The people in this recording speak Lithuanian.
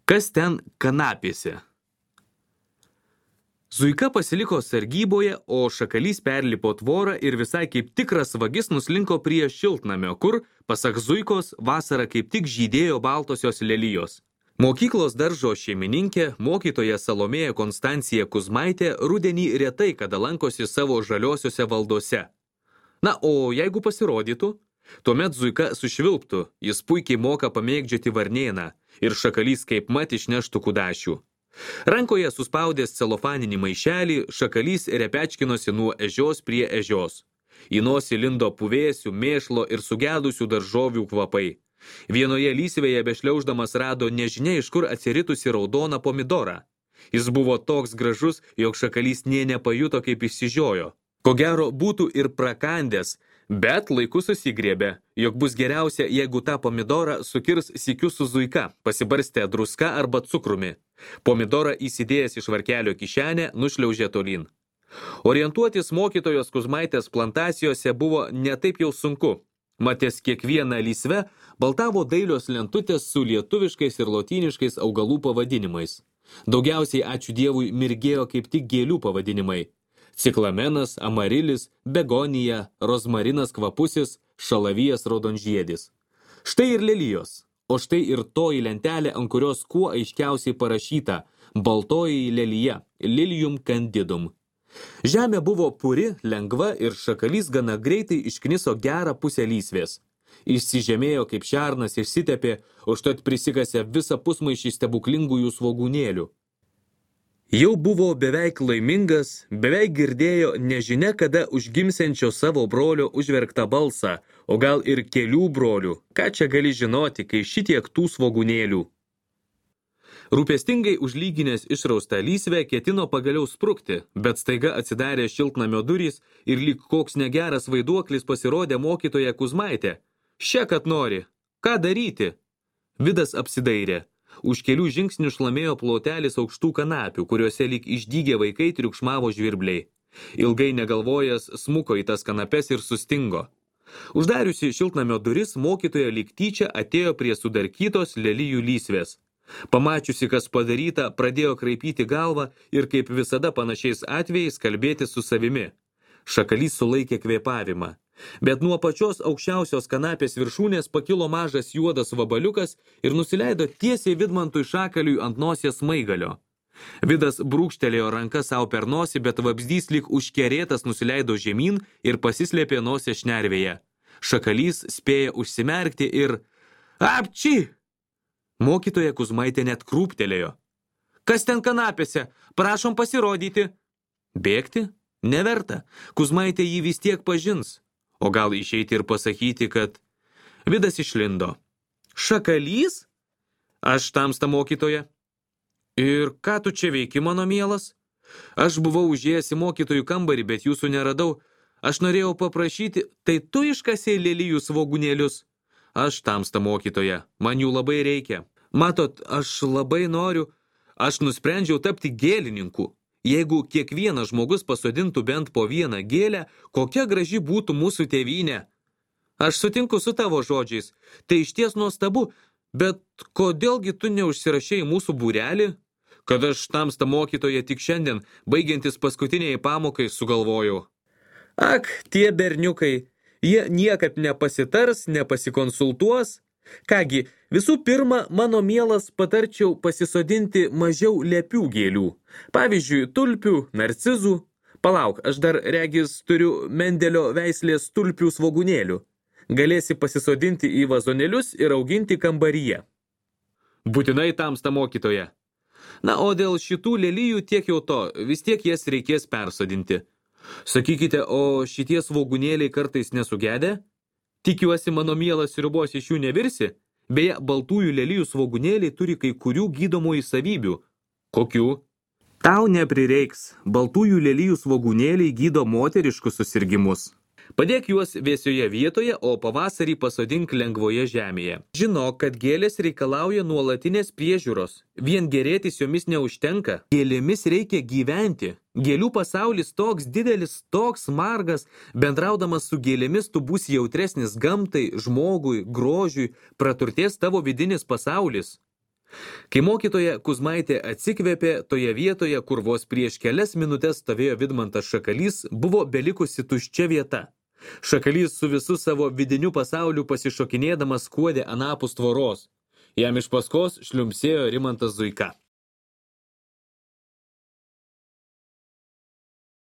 Kas ten kanapėse? Zuika pasiliko sargyboje, o Šakalys perlipo tvorą ir visai kaip tikras vagis nuslinko prie šiltnamio, kur, pasak Zuikos, vasarą kaip tik žydėjo baltosios lelijos. Mokyklos daržo šeimininkė, mokytoja Salomėja Konstancija Kuzmaitė, rudenį retai kada lankosi savo žaliosiuose valdose. Na, o jeigu pasirodytų, tuomet Zuika sušvilptų, jis puikiai moka pamėgdžioti varnėną ir Šakalys kaip mat išneštų kudašių. Rankoje suspaudęs celofaninį maišelį, Šakalys repečkinosi nuo ežios prie ežios. Į nosį lindo puvėsių, mėšlo ir sugedusių daržovių kvapai. Vienoje lysvėje bešliauždamas rado nežinia iš kur atsiritusi raudoną pomidorą. Jis buvo toks gražus, jog Šakalys nė nepajuto, kaip išsižiojo. Ko gero būtų ir prakandęs, bet laiku susigriebė, jog bus geriausia, jeigu tą pomidorą sukirs sykiu su Zuika, pasibarstę druska arba cukrumi. Pomidorą įsidėjęs iš varkelio kišenę nušliaužė tolyn. Orientuotis mokytojos Kuzmaitės plantacijose buvo netaip jau sunku. Matės kiekvieną lysvę baltavo dailios lentutės su lietuviškais ir lotyniškais augalų pavadinimais. Daugiausiai, ačiū Dievui, mirgėjo kaip tik gėlių pavadinimai. Ciklamenas, amarilis, begonija, rozmarinas kvapusis, šalavijas raudonžiedis. Štai ir lelijos, o štai ir toji lentelė, ant kurios kuo aiškiausiai parašyta baltoji lelija, lilium candidum. Žemė buvo puri, lengva ir Šakalys gana greitai iškniso gerą pusę lysvės. Išsižemėjo kaip šernas, išsitepė, užtat prisikasė visą pusmaišį stebuklingųjų svogūnėlių. Jau buvo beveik laimingas, beveik girdėjo nežinia kada užgimsiančio savo brolio užverktą balsą, o gal ir kelių brolių. Ką čia gali žinoti, kai šitiek tų svogūnėlių? Rūpestingai užlyginęs išraustą lysvę ketino pagaliau sprukti, bet staiga atsidarė šiltnamio durys ir lyg koks negeras vaiduoklis pasirodė mokytoja Kuzmaitė. Še, kad nori. Ką daryti? Vidas apsidairė. Už kelių žingsnių šlamėjo plotelis aukštų kanapių, kuriuose lyg išdygę vaikai triukšmavo žvirbliai. Ilgai negalvojęs smuko į tas kanapes ir sustingo. Uždariusi šiltnamio duris, mokytoja lyg tyčia atėjo prie sudarkytos lelijų lysvės. Pamačiusi, kas padaryta, pradėjo kraipyti galvą ir kaip visada panašiais atvejais kalbėti su savimi. Šakalys sulaikė kvėpavimą. Bet nuo pačios aukščiausios kanapės viršūnės pakilo mažas juodas vabaliukas ir nusileido tiesiai Vidmantui Šakaliui ant nosies smaigalio. Vidas brūkštelėjo ranką savo per nosį, bet vabzdys lyg užkerėtas nusileido žemyn ir pasislėpė nosies šnervėje. Šakalys spėjo užsimerkti ir apči! Mokytoja Kuzmaitė net krūptelėjo. Kas ten kanapėse? Prašom pasirodyti. Bėgti? Neverta. Kuzmaitė jį vis tiek pažins. O gal išeiti ir pasakyti, kad... Vidas išlindo. Šakalys? Aš tamsta mokytoja. Ir ką tu čia veiki, mano mielas? Aš buvau užėjęs į mokytojų kambarį, bet jūsų neradau. Aš norėjau paprašyti, tai tu iškasei lelijų svogūnėlius? Aš tamsta mokytoja, man jų labai reikia. Matot, aš labai noriu, aš nusprendžiau tapti gėlininku. Jeigu kiekvienas žmogus pasodintų bent po vieną gėlę, kokia graži būtų mūsų tėvynė. Aš sutinku su tavo žodžiais, tai išties nuostabu, bet kodėlgi tu neužsirašei mūsų būrelį? Kad aš tamsta mokytoja tik šiandien, baigiantis paskutiniai pamokai, sugalvojau. Ak, tie berniukai. Jie niekad nepasitars, nepasikonsultuos. Kągi, visų pirma, mano mielas patarčiau pasisodinti mažiau lepių gėlių. Pavyzdžiui, tulpių, narcizų. Palauk, aš dar regis turiu Mendelio veislės tulpių svogūnėlių. Galėsi pasisodinti į vazonėlius ir auginti kambaryje. Būtinai tamsta mokytoja. Na, o dėl šitų lelijų tiek jau to, vis tiek jas reikės persodinti. Sakykite, o šitie svogūnėliai kartais nesugedė? Tikiuosi, mano mielas sriubos iš jų nevirsi? Beje, baltųjų lelijų svogūnėliai turi kai kurių gydomųjų savybių. Kokių? Tau neprireiks. Baltųjų lelijų svogūnėliai gydo moteriškus susirgimus. Padėk juos vėsioje vietoje, o pavasarį pasodink lengvoje žemėje. Žinok, kad gėlės reikalauja nuolatinės priežiūros. Vien gerėtis jomis neužtenka. Gėlėmis reikia gyventi. Gėlių pasaulis toks didelis, toks margas. Bendraudamas su gėlėmis tu būsi jautresnis gamtai, žmogui, grožiui, praturtės tavo vidinis pasaulis. Kai mokytoja Kuzmaitė atsikvėpė, toje vietoje, kur vos prieš kelias minutės stovėjo Vidmantas Šakalys, buvo belikusi tuščia vieta. Šakalys su visu savo vidiniu pasauliu pasišokinėdamas skuodė anapus tvoros. Jam iš paskos šliumpsėjo Rimantas Zuika.